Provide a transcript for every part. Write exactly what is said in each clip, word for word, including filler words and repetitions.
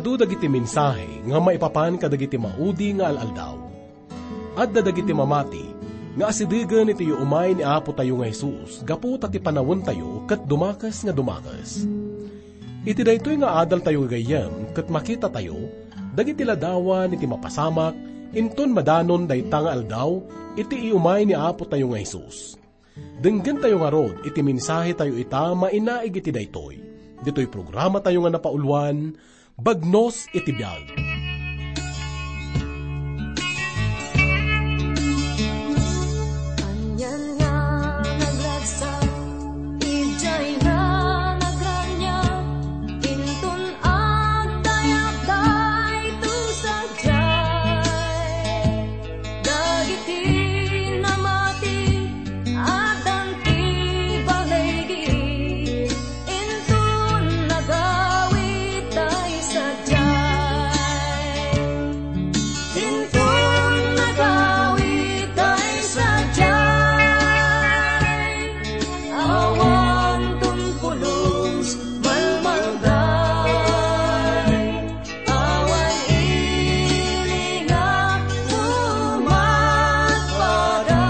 Adu dagiti mensahe nga maipapan kadagiti maudi nga al-aldaw. Adda dagiti mamati nga asidegen iti iumay ni Apotayo nga Jesus gapu ta ti panawentayo ket dumakes nga dumakes. Iti daytoy nga adaltayo gagayyem ket makitatayo dagiti ladawan iti mapasamak inton madanon dayta nga aldaw iti iumay ni Apotayo nga Jesus. Denggentayo ngarud iti mensahetayo ita mainaig iti daytoy. Ditoy programatayo nga napauluan, Bagnos iti Biag. Anian nga nagragsak, idiay nga nagraniag, inton agdayag daytoy sadiay. Dagiti namati, addan ti baligi, inton nagawid tay sadiay. Inton nagawid tay sadiay, awan ton pulos, malmalday. Awan ili nga umatpada,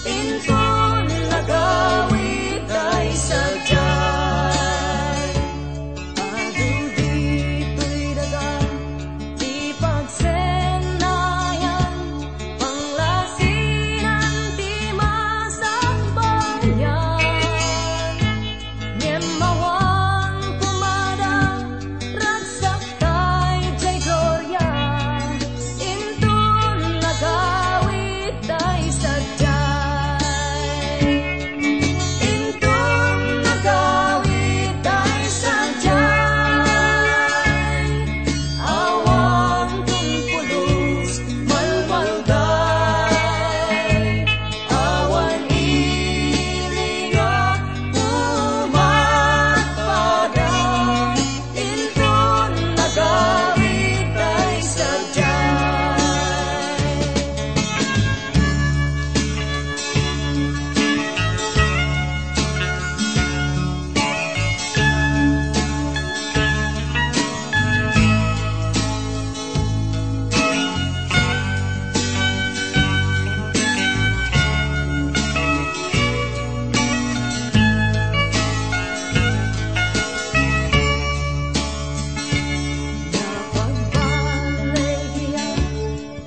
inton nagawid tay sadiay. Adu ditoy daga ti pagsennayan, panglasinan ti masakbayan. Ngem awan kumada, ragsak tay diay gloria, inton nagawid tay sadiay. Inton nagawid tay sadiay, awan ton pulos, malmalday. Awan ili nga umatpada, inton nagawid tay sadiay.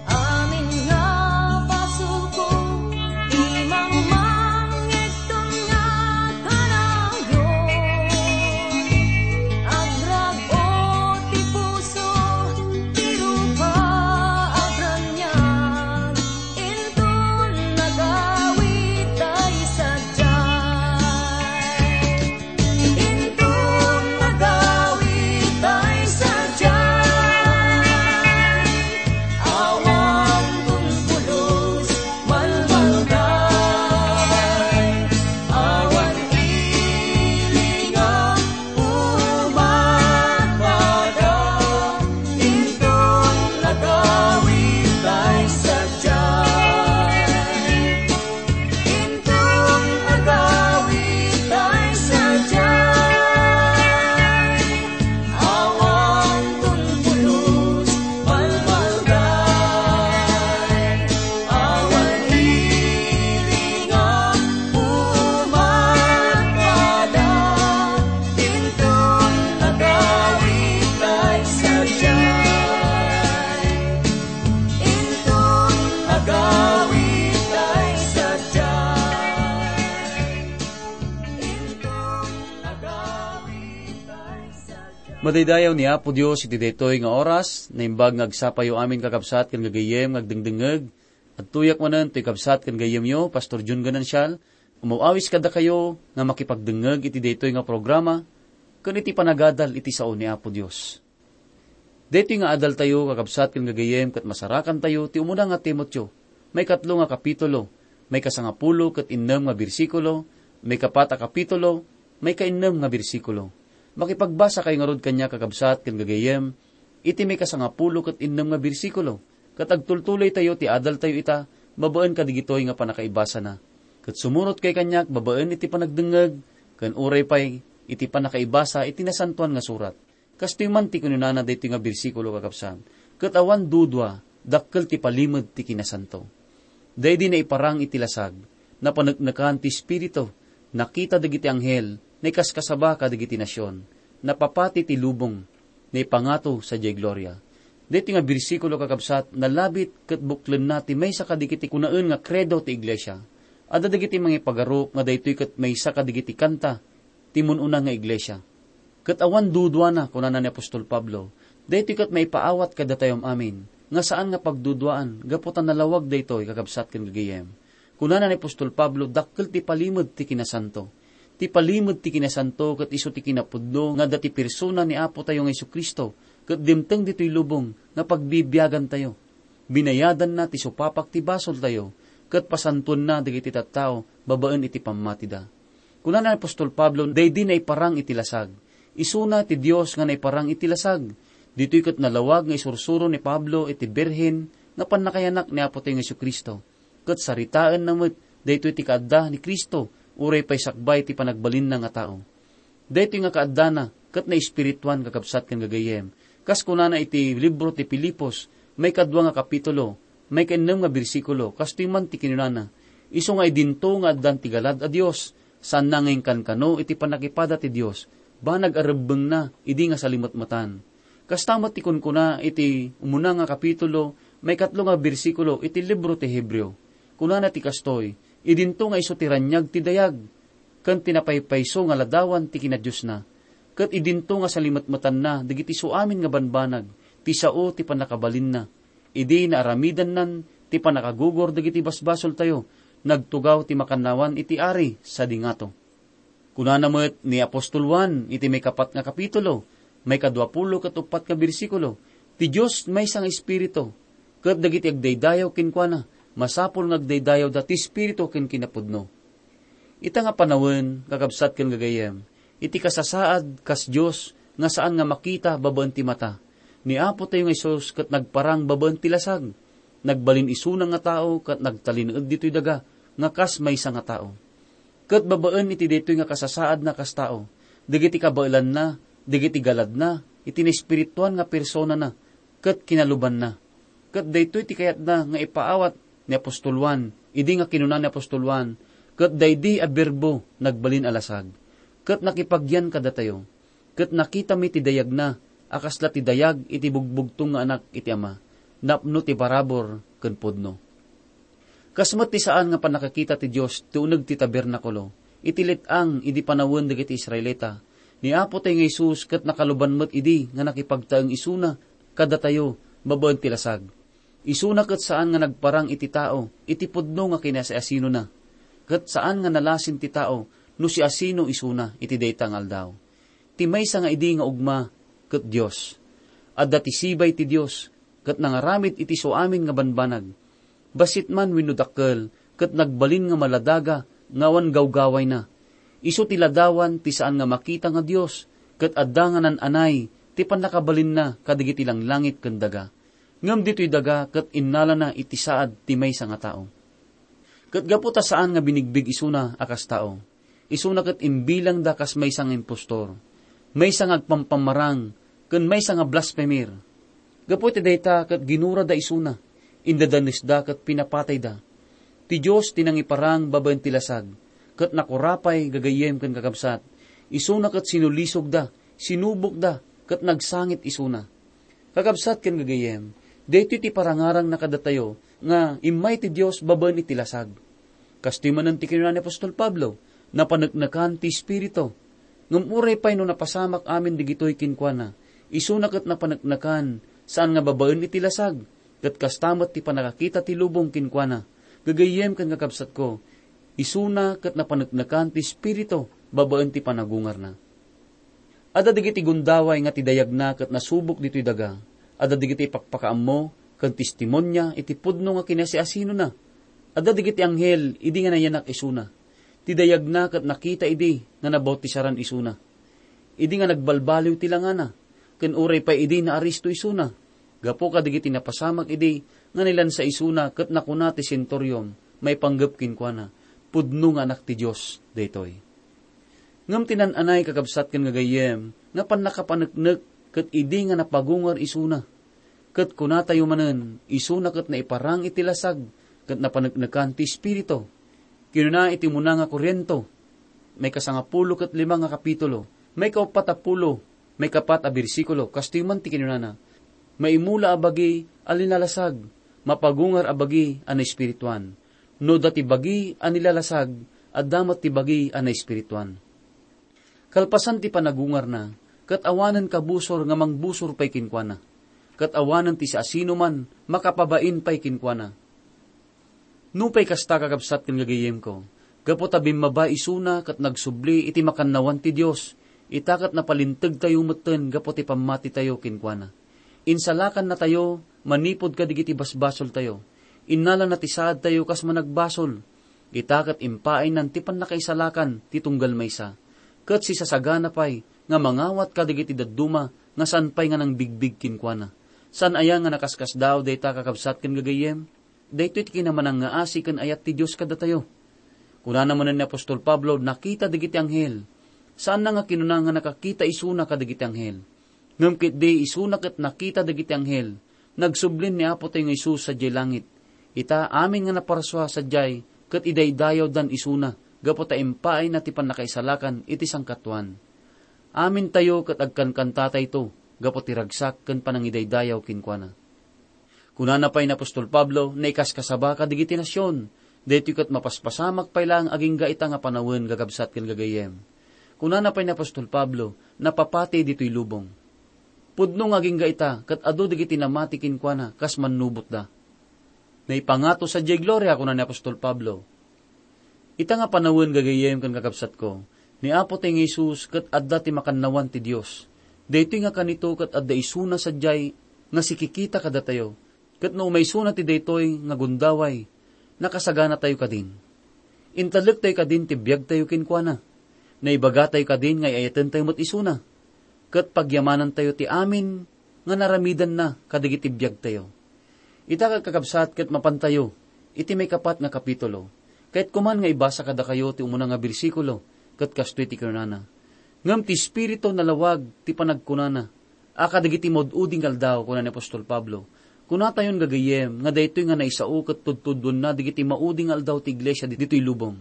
Amin nga basolko, imangmang ngegton nga kanayon. Agrag-o ti puso, ti rupa agraniag, inton nagawid tay sadiay. Inton nagawid tay sadiay, awan ton pulos, malmalday. Awan ili nga umatpada, inton nagawid tay sadiay. Inton nagawid tay sadiay, awan ton pulos, malmalday. Awan ili nga umatpada, inton nagawid tay sadiay. Inton nagawid tay sadiay. Inton nagawid tay sadiay. Madaydayaw ni Apo Dios iti daytoy nga oras. Naimbag nga agsapayo amin, kakabsat ken gagayyem nga agdengdengngeg. Adtoyak manen toy kabsat ken gayyemyo, Pastor Jun Ganancial, umaw-awis kadakayo nga makipagdengngeg iti daytoy nga programa ken iti panagadal iti sao ni Apo Dios. Daytoy nga adaltayo, kakabsat ken gagayyem, ket masarakantayo ti umuna nga Timoteo, maikatlo nga kapitulo, maikasangapulo ket innem nga bersikulo, maikapat a kapitulo, maikainnem nga bersikulo. Makipagbasakayo ngarud kaniak, kakabsat ken gagayyem, iti maikasangapulo ket innem nga bersikulo, ket agtultuloytayo ti adaltayo ita babaen kadigitoy nga pannakaibasana. Ket sumurotkayo kaniak babaen iti panagdengngeg, ken uray pay iti pannakaibasa iti Nasantoan nga Surat. Kastoy man ti kinunana daytoy nga bersikulo, kakabsat, ket awan dudua, dakkel ti palimed ti kinasanto. Daydi naiparang iti lasag, napaneknekan ti Espiritu, nakita dagiti anghel, naikaskasaba kadagiti nasion, napapati ti lubong, naipangato sadiay gloria. Daytoy nga bersikulo, kakabsat, nalabit ket buklenna ti maysa kadagiti kunaen nga kredo ti iglesia. Adda dagiti mangipagarok nga daytoy ket maysa kadagiti kanta ti mun-una nga iglesia. Ket awan duduana, kunana ni apostol Pablo, daytoy ket maipaawat kadatayo amin, nga saan nga pagduduaan gapu ta nalawag daytoy, kakabsat ken gagayyem. Kunana ni apostol Pablo, dakkel ti palimed ti kinasanto. Ti palimed ti kinasanto ket isu ti kinapudno nga adda ti persona ni Apo tayo nga Jesu-Cristo, ket dimteng ditoy lubong nga pagbibiagantayo. Binayadanna ti supapak ti basoltayo, ket pasantoenna dagiti tattao babaen iti pammatida. Kunana ni apostol Pablo, daydi naiparang iti lasag. Isuna ti Dios nga naiparang iti lasag. Ditoy ket nalawag nga isursuro ni Pablo iti birhen nga pannakayanak ni Apo tayo nga Jesu-Cristo. Ket saritaenna met daytoy ti kaadda ni Cristo, uray pay sakbay ti panagbalinna nga tao. Daytoy nga kaaddana ket naespirituan, kakabsat ken gagayyem. Kas kunana iti libro ti Filipos, maikadua nga kapitulo, maikaennem nga bersikulo, kastoy man ti kinunana, isu nga idinto nga addan ti galad a Dios, saanna nga inkankano iti pannakipada ti Dios, banag a rebbengna idi nga salimetmetan. Kasta met ti kunkuna iti umuna nga kapitulo, maikatlo nga bersikulo iti libro ti Hebreo. Kunana ti kastoy, idinto nga isu ti raniag ti dayag, ken ti napaypayso nga ladawan ti kinadiosna. Ket idinto nga salimetmetanna dagiti suamin nga banbanag ti sao ti pannakabalinna. Idi naaramidannan ti pannakagugor dagiti basbasoltayo, nagtugaw ti makannawan iti ari sadi ngato. Kunana met ni apostol Juan iti maikapat nga kapitulo, maikadua pulo ket uppat nga bersikulo, ti Dios maysa nga Espiritu, ket dagiti agdaydayaw kenkuana, masapul nga agdaydayawda ti Espiritu ken kinapudno. Ita nga panawen, kakabsat ken gagayyem, iti kasasaad kas Dios nga saan nga makita babaen ti mata, ni Apo tayo nga Jesus ket nagparang babaen ti lasag. Nagbalin isuna nga tao ket nagtalineed ditoy daga nga kas maysa nga tao. Ket babaen iti daytoy nga kasasaadna kas tao, dagiti kabaelanna, dagiti galadna, iti naespirituan nga personana, ket kinalubanna. Ket daytoy ti kayatna nga ipaawat ni apostol Juan, idi nga kinuna ni apostol Juan, ket daydi a Berbo nagbalin a lasag, ket nakipagyan kadatayo, ket nakitami ti dayagna a kasla ti dayag iti bugbugtong nga Anak iti Ama, napno ti parabur ken pudno. Kas met ti saan nga pannakakita ti Dios ti uneg ti tabernakulo, iti let-ang idi panawen dagiti Israelita, ni Apo tayo nga Jesus ket nakaluban met idi nga nakipagtaeng isuna kadatayo babaen ti lasag. Isuna ket saan nga nagparang iti tao iti pudno nga kinasiasinona, ket saan nga nalasin ti tao no siasino isuna iti dayta nga aldaw. Ti maysa nga idi nga ugma ket Dios. Adda ti sibay ti Dios, ket nangaramid iti suamin nga banbanag. Bassit man wenno dakkel, ket nagbalin nga maladaga nga awan gawgawayna. Isu ti ladawan ti saan nga makita nga Dios, ket adda nga nan-anay ti pannakabalinna kadagiti langlangit ken daga. Ngem ditoy daga ket innalana iti saad ti maysa nga tao. Ket gapu ta saan nga binigbig isuna a kas tao, isuna ket imbilangda kas maysa nga impostor, maysa nga agpampamarang, ken maysa nga blasfemer. Gapu iti dayta ket ginurada isuna, indadanesda ket pinapatayda. Ti Dios ti nangiparang babaen ti lasag, ket nakurapay gagayyem ken kakabsat, isuna ket sinulisogda, sinubokda, ket nagsangit isuna. Kakabsat ken gagayyem, daytoy ti parangarangna kadatayo nga immay ti Dios babaen iti lasag. Kastoy manen ti kinuna ni apostol Pablo, napaneknekan ti Espiritu. Ngem uray pay no napasamak amin digitoy kenkuana, isuna ket napaneknekan, saan nga babaen iti lasag, ket kasta met ti pannakakita ti lubong kenkuana. Gagayyem ken kakabsatko, isuna ket napaneknekan ti Espiritu babaen ti panagungarna. Adda dagiti gundaway nga ti dayagna ket nasubok ditoy daga. Adda dagiti ipakpakaammo ken testimonia iti pudno nga kinasiasinona. Adda dagiti anghel idi nga nayanak isuna. Ti dayagna ket nakita idi nga nabautisaraan isuna. Idi nga nagbalbaliw ti langana, ken uray pay idi naaristo isuna, gapu kadagiti napasamak idi nga nilansa isuna ket nakuna ti senturio maipanggep kenkuana, "Pudno nga Anak ti Dios daytoy." Ngem ti nan-anay, kakabsat ken gagayyem, nga pannakapaneknek ket idi nga napagungar isuna. Ket kunatayo manen, isuna ket naiparang iti lasag, ket napaneknekan ti Espiritu. Kinuna iti umuna nga Corinto, maikasangapulo ket lima nga kapitulo, maikauppat a pulo, maikapat a bersikulo, kastoy man ti kinunana, "Maimula a bagi a linalasag, mapagungar a bagi a naespirituan. No adda ti bagi a nilalasag, adda met ti bagi a naespirituan." Kalpasan ti panagungarna, ket awanen kabusor nga mangbusor pay kenkuana, ket awanen ti siasinoman makapabain pay kenkuana. Nupay kasta, kakabsat ken gagayyemko, gapu ta bimmaba isuna ket nagsubli iti makannawan ti Dios, ita ket napalintegtayo metten gapu ti pammatitayo kenkuana. Insalakannatayo manipud kadagiti basbasoltayo. Innalana ti saadtayo kas managbasol. Ita ket impaaynan ti pannakaisalakan ti tunggal maysa, ket sisasagana pay nga mangawat kadagiti dadduma nga saan pay nga nangbigbig kenkuana. Saan aya nga nakaskasdaaw dayta, kakabsat ken gagayyem? Daytoy ti kinamanangngaasi ken ayat ti Dios kadatayo. Kunana manen ni apostol Pablo, "Nakita dagiti anghel." Saanna nga kinuna nga nakakita isuna kadagiti anghel. Ngem ketdi isuna ket nakita dagiti anghel. Nagsublin ni Apotayo nga Jesus sadiay langit. Ita, amin nga naparsua sadiay ket idaydayawdan isuna gapu ta impaayna ti pannakaisalakan iti sangkatuan. Amintayo ket agkankantatayto gapu ti ragsak ken panangidaydayaw kenkuana. Kunana pay ni apostol Pablo, "Naikaskasaba kadagiti nasion." Daytoy ket mapaspasamak pay laeng agingga ita nga panawen, kakabsat ken gagayyem. Kunana pay ni apostol Pablo, "Napapati ditoy lubong." Pudno nga agingga ita ket adu dagiti namati kenkuana kas mannubotda. "Naipangato sadiay gloria," kuna ni apostol Pablo. Ita nga panawen, gagayyem ken kakabsatko, ni Apotayo nga Jesus ket adda ti makannawan ti Dios. Daytoy nga kanito ket adda isuna sadiay nga sikikita kadatayo. Ket no umaysona ti daytoy nga gundaway, nakasaganatayo kadin. Intalektayo kadin ti biagtayo kenkuana. Naibagatayo kadin nga ay-ayatentayo met isuna. Ket pagyamanantayo ti amin nga naramidanna kadagiti biagtayo. Ita, kakabsat, ket mapantayo iti maikapat nga kapitulo. Kayatko man nga ibasa kadakayo ti umuna nga bersikulo, ket kastoy ti kinunana, "Ngem ti Espiritu nalawag ti panagkunana a kadagiti maud-udi nga aldaw," kuna ni apostol Pablo. Kunatayon, gagayyem, nga daytoy nga naisao ket tudtuduenna dagiti maudi nga aldaw ti iglesia ditoy lubong.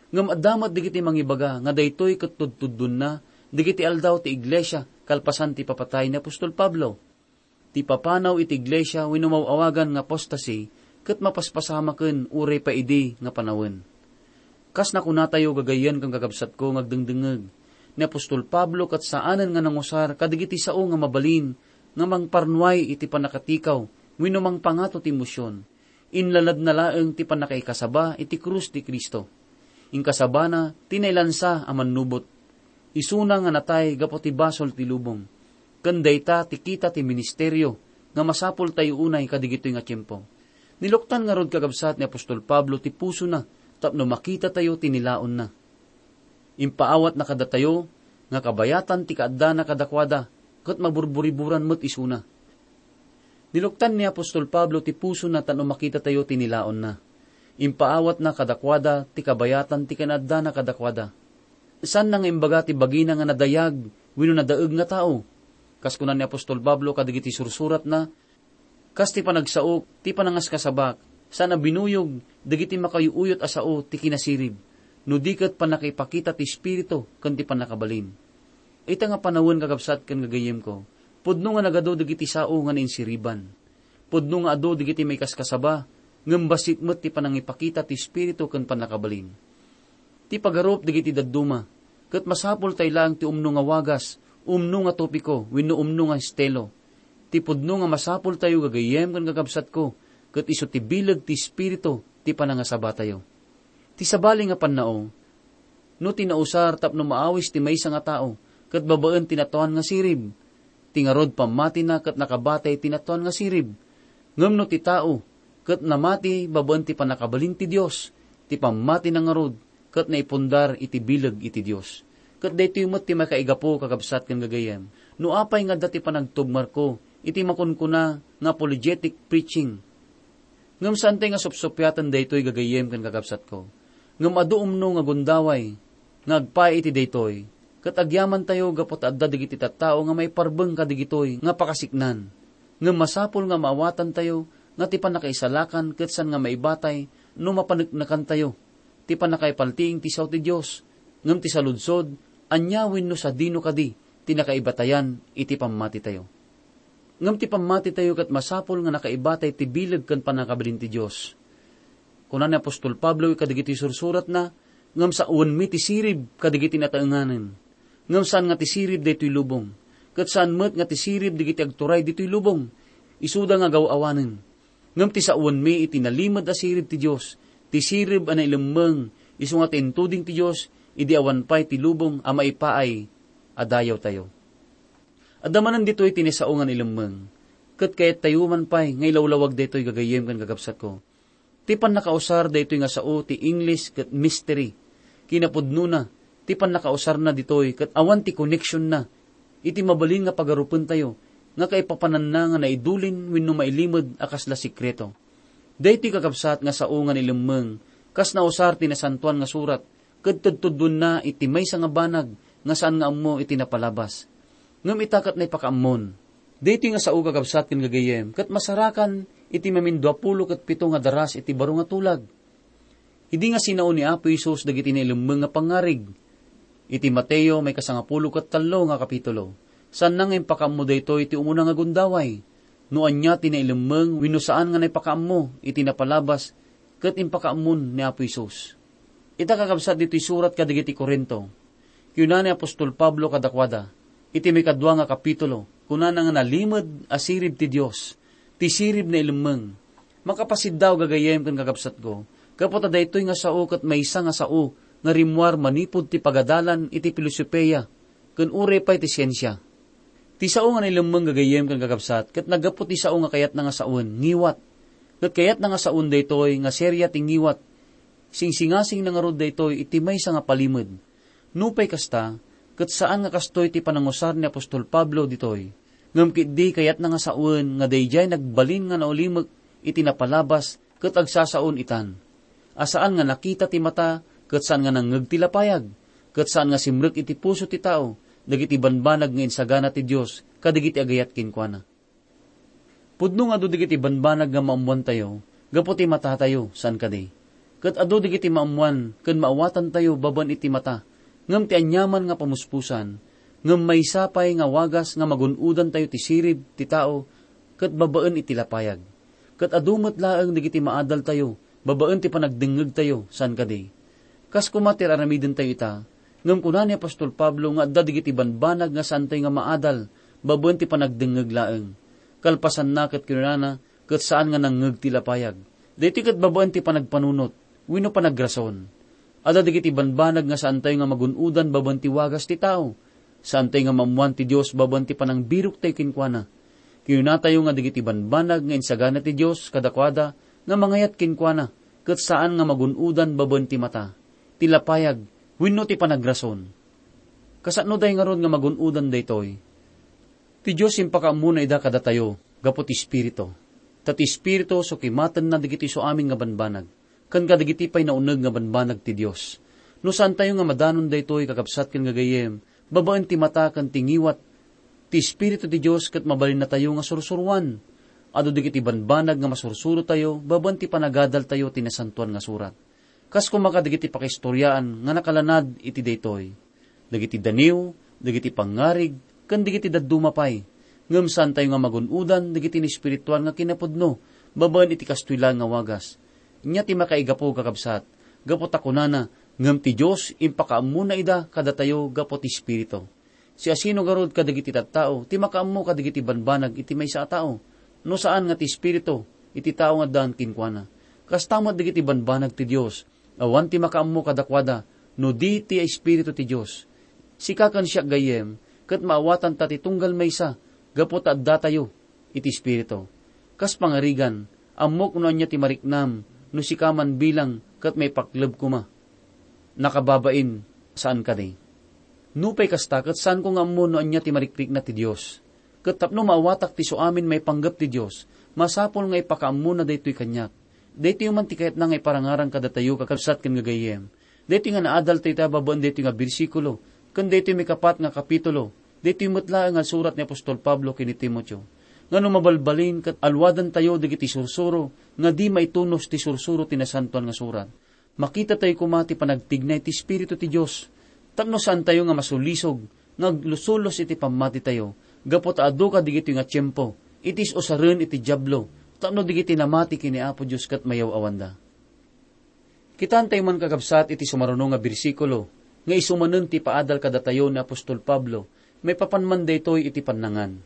Ngem adda met dagiti mangibaga nga daytoy ket tudtuduenna dagiti aldaw ti iglesia kalpasan ti ipapatay ni apostol Pablo. Ti ipapanaw iti iglesia wenno maw-awagan nga apostasy ket mapaspasamaken uray pay idi nga panawen. Kas nakunatayo, gagayyem ken kakabsatko nga agdengdengngeg, ni apostol Pablo ket saanen nga nangusar kadagiti sao nga mabalin nga mangparnuay iti pannakatikaw wenno mangpangato ti emosyon. Inlaladna laeng ti pannakaikasaba iti krus ni Cristo. Inkasabana ti nailansa a mannubot. Isuna nga natay gapu ti basol ti lubong. Ken dayta ti kita ti ministerio nga masapultayo unay kadigitoy nga tiempo. Niluktan ngarud, kakabsat, ni apostol Pablo ti pusona tapno makitatayo ti nilaonna. Impaawatna kadatayo nga kabayatan ti kaaddana kadakuada ket maburburiburan met isuna. Niluktan ni apostol Pablo ti pusona tapno makitatayo ti nilaonna. Impaawatna kadakuada ti kabayatan ti kinaaddana kadakuada. Saanna nga imbaga ti bagina nga nadayag wenno nadaeg nga tao. Kas kuna ni apostol Pablo kadagiti sursuratna, "Kas ti panagsaok, ti panangaskasabak, saan a binuyog dagiti makauyuyot a sao ti kinasirib, no di ket pannakaipakita ti Espiritu ken ti pannakabalin." Ita nga panawen, kakabsat ken gagayyemko, pudno nga nagadu dagiti sao nga nainsiriban. Pudno nga adu dagiti maikaskasaba, ngem bassit met ti panangipakita ti Espiritu ken pannakabalin. Ti pagarup dagiti dadduma, ket masapultayo laeng ti umno nga wagas, umno nga topiko, wenno umno nga estilo. Ti pudno nga masapultayo, gagayyem ken kakabsatko, ket isu ti bileg ti Espiritu ti panangasabatayo. Ti sabali nga pannao, no ti nausar tapno maawis ti maysa nga tao, ket babaen ti natuan nga sirib, ti ngarud pammatina ket nakabatay ti natuan nga sirib. Ngem no ti tao ket namati babaen ti pannakabalin ti Dios, ti pammatina ngarud ket naipundar iti bileg iti Dios. Ket daytoy met ti makaigapu, kakabsat ken gagayyem, no apay nga adda ti panagtugmarko iti makunkuna nga apologetic preaching. Ngem saantay nga supsuppiaten daytoy, gagayyem ken kakabsatko. Ngem adu umno nga gundaway nga agpaay iti daytoy. Ket agyamantayo gapu ta adda dagiti tattao nga maiparbeng kadigitoy nga pakasiknan. Ngem masapul nga maawatantayo nga ti pannakaisalakan ket saan nga maibatay no mapaneknekantayo. Ti pannakaipaltiing ti sao ti Dios, ngem ti saludsod, ania wenno sadino kadi ti nakaibatayan iti pammatitayo? Ngem ti pammatitayo ket masapul nga nakaibatay ti bileg ken pannakabalin ti Dios. Kuna ni apostol Pablo kadagiti sursuratna, ngem sawenmi ti sirib kadagiti nataenganen. Ngem saan nga ti sirib daytoy lubong, ket saan met nga ti sirib dagiti agturay ditoy lubong, isuda nga gaw-awanen. Ngem ti sawenmi iti nalimed a sirib ti Dios, ti sirib a nailemmeng, isu nga ti intuding ti Dios, idi awan pay ti lubong a maipaay a dayawtayo. Adda manen ditoy ti ni sao nga nailemmeng, ket kayattayo man pay nga ilawlawag daytoy gagayyem ken gagabsatko. Ti pannakausar daytoy nga sao ti English ket mystery. Kinapudnona, ti pannakausarna ditoy ket awan ti koneksionna iti mabalin nga pagarupentayo nga kaipapananna nga naidulin wenno mailimed a kasla sekreto. Daytoy kakabsat nga sao nga nailemmeng kas nausar ti Nasantoan nga Surat ket tudtudduenna iti maysa nga banag nga saan nga ammo iti napalabas. Ngem ita ket naipakaammon. Daytoy nga sao kakabsat ken gagayyem ket masarakan iti maminduapulo ket pito nga daras iti baro nga tulag. Idi nga sinao ni Apo Jesus dagiti nailemmeng nga pangngarig. Iti Mateo maikasangapulo ket tallo nga kapitulo, saanna nga impakaammo daytoy ti umuna nga gundaway. No ania ti nailemmeng wenno saan nga naipakaammo iti napalabas ket impakaammon ni Apo Jesus. Ita kakabsat ditoy surat kadagiti Corinto, kuna ni apostol Pablo kadakuada, iti maikadua nga kapitulo, kunana nga nalimed a sirib ti Dios, ti sirib nailemmeng. Makapasiddaw gagayyem ken kakabsatko, gapu ta daytoy nga sao ket maysa nga sao nga rimmuar manipud ti pagadalan iti filosofia ken uray pay ti siensia. Ti sao nga nailemmeng gagayyem ken kakabsat ket naggapu ti sao nga kayatna nga sawen, ngiwat. Ket kayatna nga sawen daytoy nga seria ti ngiwat. Singsingasingna ngarud daytoy iti maysa nga palimed. Nupay kasta, ket saan nga kastoy ti panangusar ni apostol Pablo ditoy. Ngem ketdi kayatna nga sawen nga daydiay nagbalin nga naulimek iti napalabas ket agsasaon itan. A saan nga nakita ti mata ket saan nga nangngeg ti lapayag, ket saan nga simrek iti puso ti tao dagiti banbanag nga insagana ti Dios kadagiti agayat kenkuana. Pudno nga adu dagiti banbanag nga maammoantayo gapu ti matatayo, saan kadi? Ket adu dagiti maammoan ken maawatantayo babaen iti mata, ngem ti aniaman nga pamuspusan, ngem maysa pay nga wagas nga magun-odantayo ti sirib ti tao ket babaen iti lapayag. Ket adu met laeng dagiti maadaltayo babaen ti panagdengngegtayo, saan kadi? Kas koma ti ar-aramidentayo ita, ngem kuna ni apostol Pablo nga adda dagiti banbanag nga saantayo nga maadal babaen ti panagdengngeg laeng. Kalpasanna ket kinunana, ket saan nga nangngeg ti lapayag. Daytoy ket babaen ti panagpanunot wenno panagrason. Adda dagiti banbanag nga saantayo nga magun-odan babaen ti wagas ti tao. Saantayo nga maammoan ti Dios babaen ti panangbiroktayo kenkuana. Kinunatayo nga dagiti banbanag nga insagana ti Dios kadakuada nga mangayat kenkuana, ket saan nga magun-odan babaen ti mata, ti lapayag, wenno ti panagrason. Kasano day ngarud nga magun-odan daytoy? Ti Dios impakaammona ida kadatayo gapu ti Espiritu. Ta ti Espiritu so kimatenna dagiti isuamin nga banbanag, ken kadagiti pay nauneg nga banbanag ti Dios. No saantayo nga madanon daytoy, kakabsat ken gagayyem, babaen ti mata ken ti ngiwat, ti Espiritu ti Dios ket mabalinnatayo nga sursuroan. Adu dagiti banbanag nga masursurotayo babaen ti panagadaltayo ti Nasantoan nga Surat. Kas koma kadagiti pakaistoriaan nga nakalanad iti daytoy. Dagiti daniw, dagiti pangngarig, ken dagiti dadduma pay. Ngem saantayo nga magun-odan dagiti naespirituan nga kinapudno babaen iti kastoy laeng nga wagas. Ania ti makaigapu, kakabsat? Gapu ta kunana, ngem ti Dios impakaammona ida kadatayo gapu ti Espiritu. Siasino ngarud kadagiti tattao ti makaammo kadagiti banbanag iti maysa a tao, no saan nga ti Espiritu iti tao nga addaan kenkuana? Kasta met dagiti banbanag ti Dios, awan ti makaammo kadakuada no di ti Espiritu ti Dios. Sika ken siak, gayyem, ket maawatanta ti tunggal maysa gapu ta addatayo iti Espiritu. Kas pangarigan, ammok no ania ti mariknam no sika man bilang ket maipakleb koma. Nakababain, saan kadi? Nupay kasta, ket saanko nga ammo no ania ti marikrikna ti Dios. Ket tapno maawatak ti isuamin maipanggep ti Dios, masapul nga ipakaammona daytoy kaniak. Daytoy man ti kayatna nga iparangarang kadatayo, kakabsat ken gagayyem. Daytoy nga naadaltayo ita babaen daytoy nga bersikulo, Ken daytoy maikapat nga kapitulo, daytoy met laeng nga surat ni apostol Pablo ken ni Timoteo, nga no mabalbalin ket aluadantayo dagiti sursuro nga di maitunos ti sursuro ti Nasantoan nga Surat, makitatayo koma ti panagtignay ti Espiritu ti Dios tapno saantayo nga masulisog nga aglusulos iti pammatitayo gapu ta adu kadigitoy nga tiempo iti is-usaren iti Diablo tapno dagiti namati ken ni Apo Dios ket mayaw-awanda. Kitaentayo man, kakabsat, iti sumaruno nga bersikulo nga isu manen ti paadal kadatayo ni apostol Pablo maipapan man daytoy iti pannangan.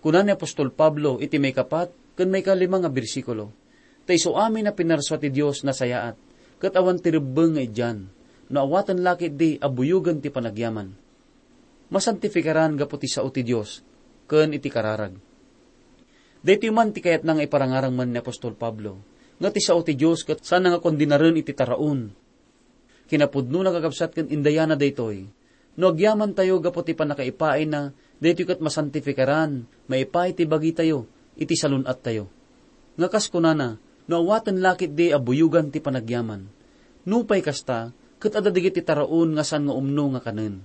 Kuna ni apostol Pablo iti maikapat ken maikalima nga bersikulo, "Ta isu amin a pinarsua ti Dios nasayaat, ket awan ti rebbeng nga idian, no awaten la ketdi a buyogen ti panagyaman." Masantifikaran gapu ti sao ti Dios ken iti kararag. Daytoy man ti kayatna nga iparangarang man ni apostol Pablo, nga ti sao ti Dios ket saanna nga kondenaren iti taraon. Kinapudnona, kakabsat, ken indayana daytoy. No agyamantayo gapu ti pannakaipaayna, daytoy ket masantifikaran, maipaay ti bagitayo iti salun-attayo. Nga kas kunana, no awaten la ketdi a buyogan ti panagyaman. Nupay kasta, ket adda dagiti taraon nga saan nga umno nga kanen.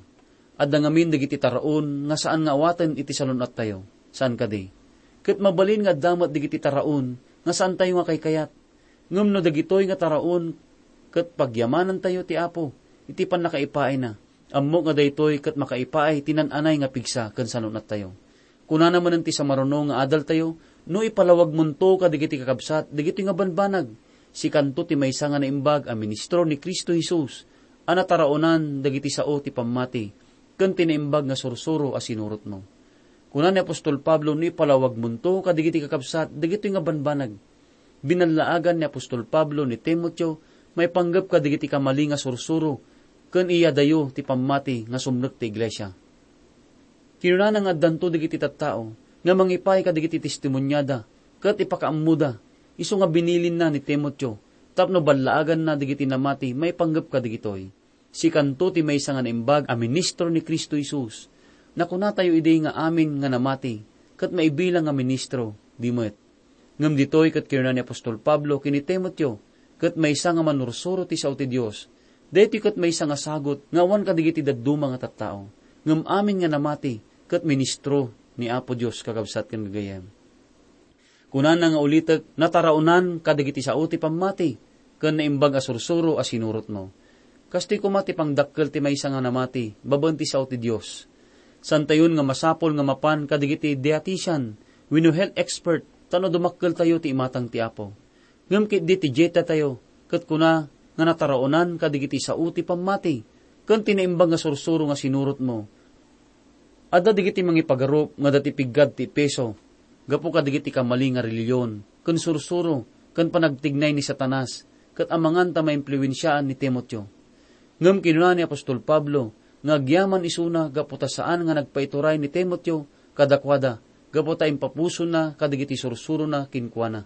Adda ngamin dagiti taraon nga saan nga awaten iti salun-attayo. Saan kadi? Ket mabalin nga adda met dagiti taraon nga saantayo nga kaykayat. Ngem no dagitoy nga taraon ket pagyamanantayo ti Apo iti pannakaipaayna, ammok nga daytoy ket makaipaay ti naan-anay nga pigsa ken salun-attayo. Kunana manen ti sumaruno nga adaltayo, "No ipalawagmonto kadagiti kakabsat dagitoy nga banbanag, sikanto ti maysa nga naimbag a ministro ni Cristo Jesus a nataraonan dagiti sao ti pammati ken ti naimbag nga sursuro a sinurotmo." Kuna ni apostol Pablo, "No ipalawagmonto kadagiti kakabsat dagitoy nga banbanag." Binallaagan ni apostol Pablo ni Timoteo maipanggep kadagiti kamali nga sursuro ken iyadayo ti pammati nga sumrek ti iglesia. Kinunana nga addanto dagiti tattao nga mangipaay kadagiti testimoniada ket ipakaammoda, isu nga binilinna ni Timoteo tapno ballaaganna dagiti namati maipanggep kadagitoy. Sikanto ti maysa nga naimbag a ministro ni Cristo Jesus. Nakunatayo idi nga amin nga namati ket maibilang nga ministro, di met. Ngem ditoy ket kinuna ni apostol Pablo ken ni Timoteo, ket maysa nga manursuro ti sao ti Dios. Daytoy ket maysa nga sagut nga awan kadagiti dadduma nga tattao, ngem amin nga namati ket ministro ni Apo Dios, kakabsat ken gagayyem. Kunana nga ulitek, nataraonan kadagiti sao ti pammati ken naimbag a sursuro a sinurotmo. Kastoy koma ti pangdakkel ti maysa nga namati babaen ti sao ti Dios. Saantayon nga masapul nga mapan kadagiti dietitian wenno health expert tapno dumakkeltayo ti imatang ti Apo. Ngem ketdi ti dietatayo ket kuna nga nataraonan kadagiti sao ti pammati ken ti naimbag nga sursuro nga sinurotmo. Adda dagiti mangipagarup nga adda ti piggad ti Efeso gapu kadagiti kamali nga relihiyon ken sursuro ken panagtignay ni Satanas ket amangan ta maimpluensiaan ni Timoteo. Ngem kinuna ni apostol Pablo nga agyaman isuna gapu ta saan nga nagpaituray ni Timoteo kadakuada gapu ta impapusona kadagiti sursurona kenkuana.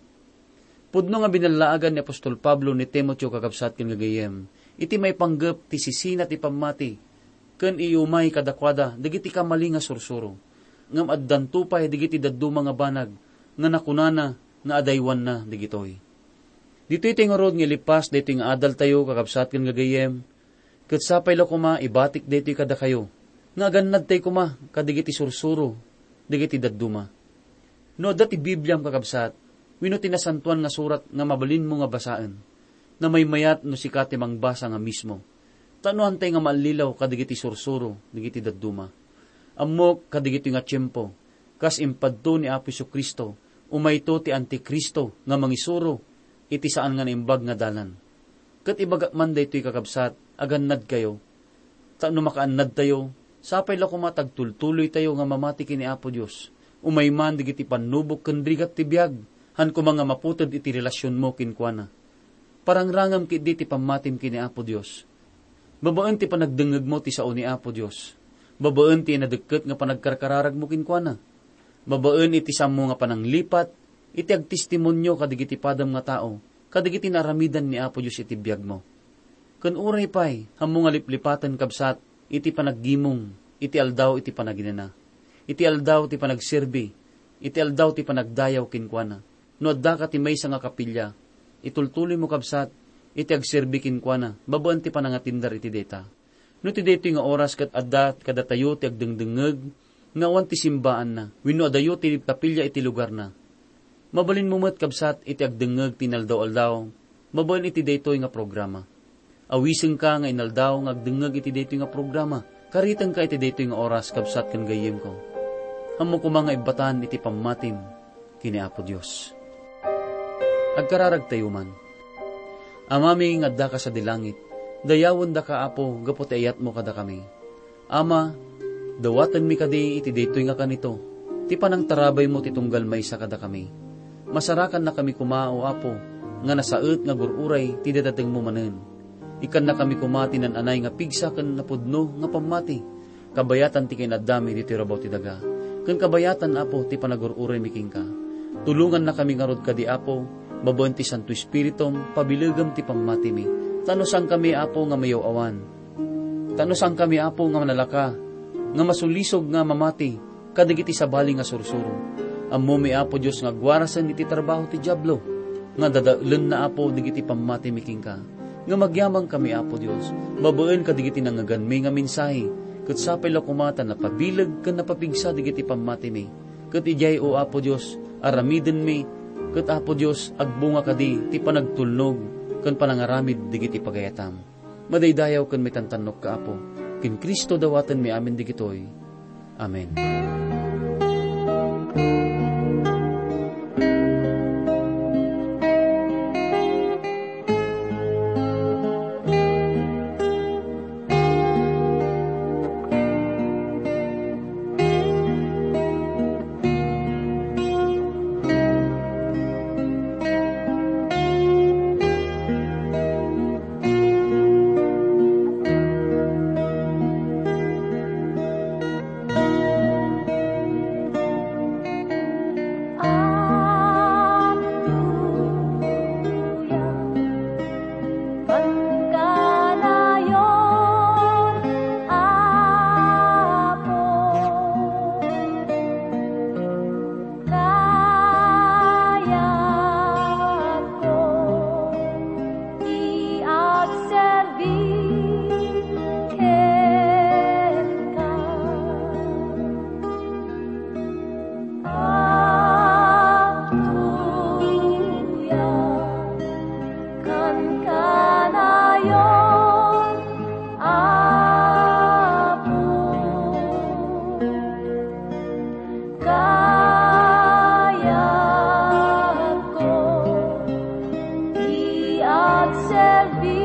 Pudno nga binallaagan ni apostol Pablo ni Timoteo, kakabsat ken gagayyem, iti maipanggep ti sisina ti pammati ken iumay kadakuada dagiti kamali nga sursuro. Ngem addanto pay dagiti dadduma nga banag nga nakunana nga adaywanna dagitoy. Ditoy ti ngarud nga ilipas daytoy nga adaltayo, kakabsat ken gagayyem, ket sapay la koma ibatik daytoy kadakayo, nga agannadtay koma kadagiti sursuro dagiti dadduma. No adda ti Bibliam, kakabsat, wenno ti Nasantoan nga Surat nga mabalinmo nga basaen, namaymayat no sika ti mangbasa nga mismo. Ta no antay nga maallilaw kadagiti sursuro dagiti dadduma. Ammok kadagitoy nga tiempo, kas impadto ni Apo Jesu-Cristo, umayto ti Anticristo nga mangisuro iti saan nga naimbag nga dalan. Ket ibagak man daytoy, kakabsat, agannadkayo. Ta no makaannadtayo, sapay la koma ta agtultuloytayo nga mamati ken ni Apo Dios. Umay man dagiti pannubok ken rigat ti biag, han koma nga maputed iti relasionmo kenkuana. Parangrangem ketdi ti pammatim ken ni Apo Dios. Babaen ti panagdengngegmo ti sao ni Apo Dios. Babaen ti inadekket nga panagkarkararagmo kenkuana. Babaen iti saanmo nga pananglipat, iti agtestimonio kadagiti padam nga tao, kadagiti naaramidan ni Apo Dios iti biagmo. Ken uray pay, ammo nga liplipaten, kabsat, iti panaggimong, iti aldaw iti panaginana, iti aldaw ti panagserbi, iti aldaw ti panagdayaw kenkuana. No addaka ti maysa nga kapilya, itultuloymo, kabsat, iti agserbi kenkuana, babaen ti panangatindar iti dayta. No ti daytoy nga oras ket adda kadatayo ti agdengdengngeg nga awan ti simbaanna, wenno adayo ti kapilya iti lugarna, mabalinmo met, kabsat, iti agdengngeg ti inaldaw-aldaw babaen iti daytoy nga programa. Awisenka nga inaldaw nga agdengngeg iti daytoy nga programa. Karitenka iti daytoy nga oras, kabsat ken gayyemko. Ammo koma nga ibbatan iti pammatim ken ni Apo Dios. Agkararagtayo man. Amami nga addaka sadi langit, dayawendaka, Apo, gapu ti ayatmo kadakami. Ama, dawatenmi kadi iti daytoy nga kanito, ti panangtarabaymo ti tunggal maysa kadakami. Masarakannakami koma, O Apo, nga nasaet nga agur-uray ti dadatengmo manen. Ikkannakami koma ti naan-anay nga pigsa ken napudno nga pammati, kabayatan ti kinaddami ditoy rabaw ti daga, ken kabayatan, Apo, ti panagur-uraymi kenka. Tulongannakami ngarud kadi, Apo, babaen ti Santo Espiritum, pabilegem ti pammatimi, ta no saankami, Apo, nga mayaw-awan, ta no saankami, Apo, nga manalaka, nga masulisog nga mamati kadagiti sabali nga sursuro. Ammomi, Apo Dios, nga agwarasen iti trabaho ti Diablo, nga dadaelenna, Apo, dagiti pammatimi kenka. Ngem agyamankami, Apo Dios, babaen kadagiti nangngeganmi nga mensahe, ket sapay la koma ta napabileg ken napapigsa dagiti pammatimi. Ket idiay, O Apo Dios, aramidenmi, ket, Apo Dios, agbunga kadi ti panagtulnog ken panangaramid dagiti pagayatam. Madaydayaw ken maitantannokka, Apo. Ken Cristo dawatenmi amin dagitoy. Amen. Pagkanayon, Apo, kayatko ti agserbi kenka. Agtuya ken kanayon, Apo, kayatko ti agserbi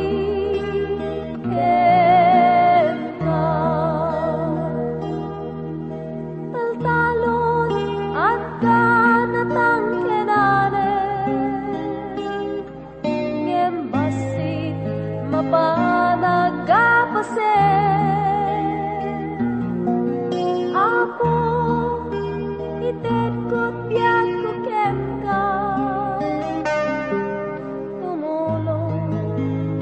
kenka. Taltalon, adda natangkenanen, ngem bassit mapan aggapasen. Apo, itedko ti biagko kenka. Tumulong,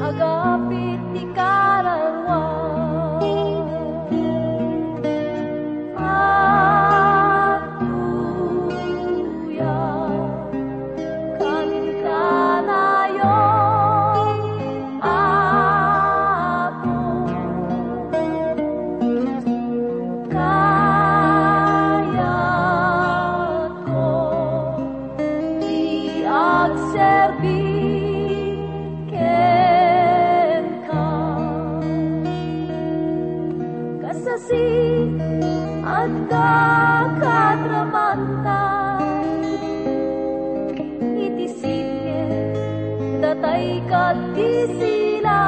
agapit ti kararua. Agtuya ken kanayon, Apo, kayatko ti agserbi kenka. Kasasi, adda kadramanta iti sitge, datay ket ti sila.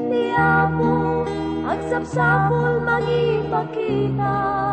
Ni Apo, agsapsapul mangipakita.